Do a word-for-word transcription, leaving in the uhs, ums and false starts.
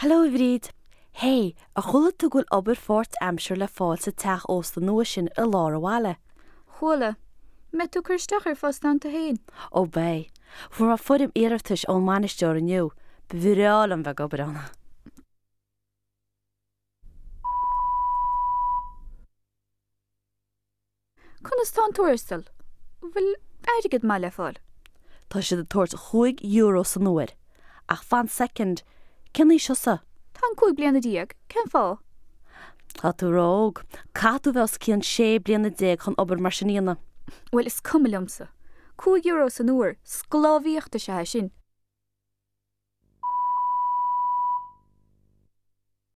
Hello a Bhríd. Hey, ar chuala tú go bhfuil obair pháirtaimseartha le fáil sa teach ósta nua sin i lár an bhaile. Chuala, mbeidh tú ag cur isteach ar phost ann tú féin. Ó beidh. Fuair mé foirm iarratais ón mbainisteoir inniu, Ba bhreá liom bheith ag obair ann. Conas tá an tuarastal? Bhfuil airgead maith le fáil? Tá siad ag tabhairt chúig euro san uair. Ach fan soicind, cén aois thusa? Táim cúig bliana déag, cén fáth? Tá tú ró-óg. Caithfidh tú bheith os cionn sé bliana déag chun obair mar sin a dhéanamh. Bhuel, is cuma liomsa. Cúig euro san uair, sclábhaíocht is ea é sin.